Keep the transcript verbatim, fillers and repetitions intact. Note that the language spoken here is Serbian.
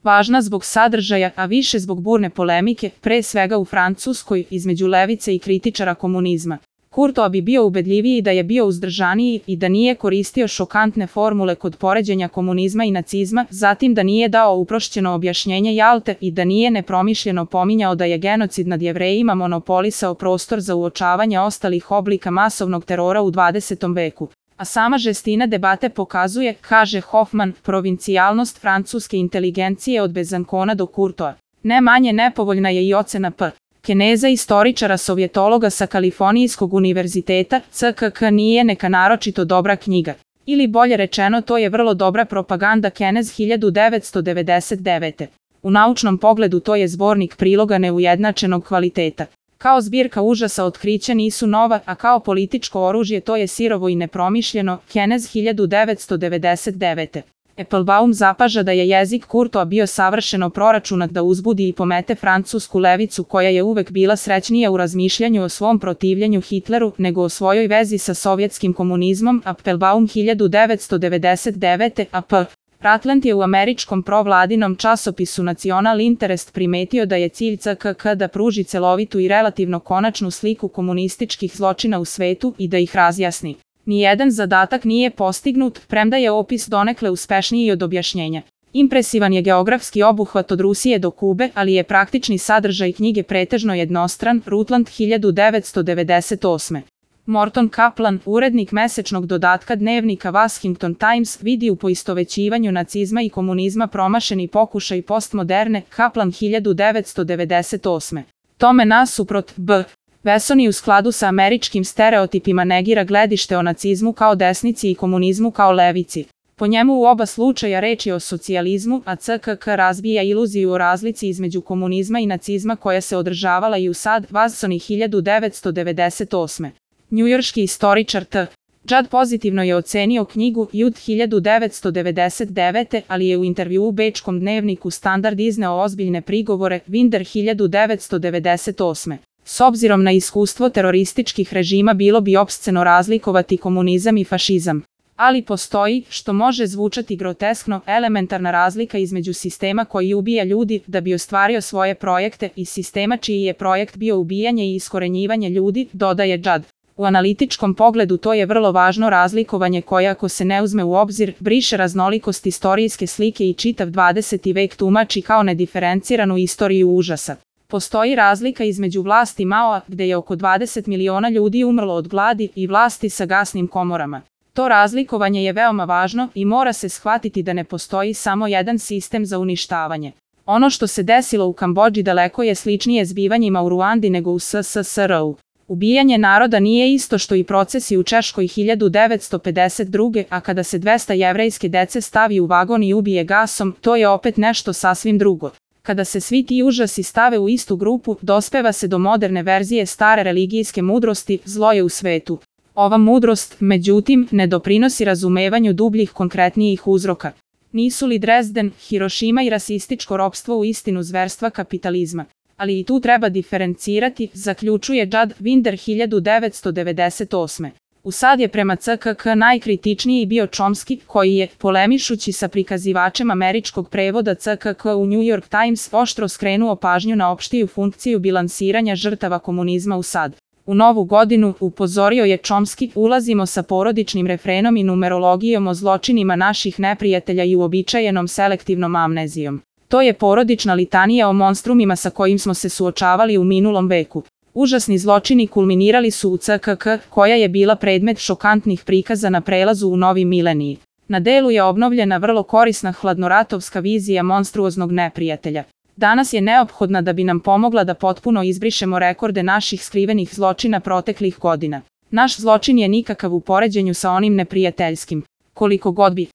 Važna zbog sadržaja, a više zbog burne polemike, pre svega u Francuskoj, između levice i kritičara komunizma. Courtois bi bio ubedljiviji da je bio uzdržaniji i da nije koristio šokantne formule kod poređenja komunizma i nacizma, zatim da nije dao uprošćeno objašnjenje Jalte i da nije nepromišljeno pominjao da je genocid nad Jevrejima monopolisao prostor za uočavanje ostalih oblika masovnog terora u dvadesetom veku. A sama žestina debate pokazuje, kaže Hoffman, provincijalnost francuske inteligencije od Bezancona do Courtoisa. Ne manje nepovoljna je i ocena P. Keneza, istoričara sovjetologa sa Kalifornijskog univerziteta, C K K nije neka naročito dobra knjiga. Ili bolje rečeno, to je vrlo dobra propaganda Kenez hiljadu devetsto devedeset devete. U naučnom pogledu to je zbornik priloga neujednačenog kvaliteta. Kao zbirka užasa otkrića nisu nova, a kao političko oružje to je sirovo i nepromišljeno, Kenez hiljadu devetsto devedeset devete. Applebaum zapaža da je jezik Courtoisa bio savršeno proračunat da uzbudi i pomete francusku levicu koja je uvek bila srećnija u razmišljanju o svom protivljenju Hitleru nego o svojoj vezi sa sovjetskim komunizmom. Applebaum hiljadu devetsto devedeset devete. A P. Ratland je u američkom provladinom časopisu Nacional Interest primetio da je cilj C K K da pruži celovitu i relativno konačnu sliku komunističkih zločina u svetu i da ih razjasni. Nijedan zadatak nije postignut, premda je opis donekle uspešniji od objašnjenja. Impresivan je geografski obuhvat od Rusije do Kube, ali je praktični sadržaj knjige pretežno jednostran. Rutland hiljadu devetsto devedeset osme. Morton Kaplan, urednik mesečnog dodatka dnevnika Washington Times, vidi u poistovećivanju nacizma i komunizma promašeni pokušaj postmoderne. Kaplan hiljadu devetsto devedeset osme. Tome nasuprot, B. Vesoni u skladu sa američkim stereotipima negira gledište o nacizmu kao desnici i komunizmu kao levici. Po njemu u oba slučaja reč je o socijalizmu, a C K K razbija iluziju o razlici između komunizma i nacizma koja se održavala i u sad. Vesoni hiljadu devetsto devedeset osme. Njujorški istoričar T. Judd pozitivno je ocenio knjigu Judd hiljadu devetsto devedeset devete, ali je u intervjuu u bečkom dnevniku Standard izneo ozbiljne prigovore. Winder hiljadu devetsto devedeset osme. S obzirom na iskustvo terorističkih režima bilo bi opsceno razlikovati komunizam i fašizam. Ali postoji, što može zvučati groteskno, elementarna razlika između sistema koji ubija ljudi da bi ostvario svoje projekte i sistema čiji je projekt bio ubijanje i iskorenjivanje ljudi, dodaje Judd. U analitičkom pogledu to je vrlo važno razlikovanje koje, ako se ne uzme u obzir, briše raznolikost istorijske slike i čitav dvadeseti vek tumači kao nediferenciranu istoriju užasa. Postoji razlika između vlasti Maoa, gde je oko dvadeset miliona ljudi umrlo od gladi, i vlasti sa gasnim komorama. To razlikovanje je veoma važno i mora se shvatiti da ne postoji samo jedan sistem za uništavanje. Ono što se desilo u Kambodži daleko je sličnije zbivanjima u Ruandi nego u S S S R-u. Ubijanje naroda nije isto što i procesi u Češkoj hiljadu devetsto pedeset druge. a kada se dvesta jevrejske dece stavi u vagon i ubije gasom, to je opet nešto sasvim drugo. Kada se svi ti užasi stave u istu grupu, dospeva se do moderne verzije stare religijske mudrosti, zlo je u svetu. Ova mudrost, međutim, ne doprinosi razumevanju dubljih konkretnijih uzroka. Nisu li Dresden, Hirošima i rasističko ropstvo u istinu zverstva kapitalizma? Ali i tu treba diferencirati, zaključuje Judd. Winder hiljadu devetsto devedeset osme. U sad je prema C K K najkritičniji bio Chomsky, koji je, polemišući sa prikazivačem američkog prevoda C K K u New York Times, oštro skrenuo pažnju na opštiju funkciju bilansiranja žrtava komunizma u sad. U novu godinu, upozorio je Chomsky, ulazimo sa porodičnim refrenom i numerologijom o zločinima naših neprijatelja i uobičajenom selektivnom amnezijom. To je porodična litanija o monstrumima sa kojim smo se suočavali u minulom veku. Užasni zločini kulminirali su u C K K, koja je bila predmet šokantnih prikaza na prelazu u novi mileniji. Na delu je obnovljena vrlo korisna hladnoratovska vizija monstruoznog neprijatelja. Danas je neophodna da bi nam pomogla da potpuno izbrišemo rekorde naših skrivenih zločina proteklih godina. Naš zločin je nikakav u poređenju sa onim neprijateljskim. Koliko god bi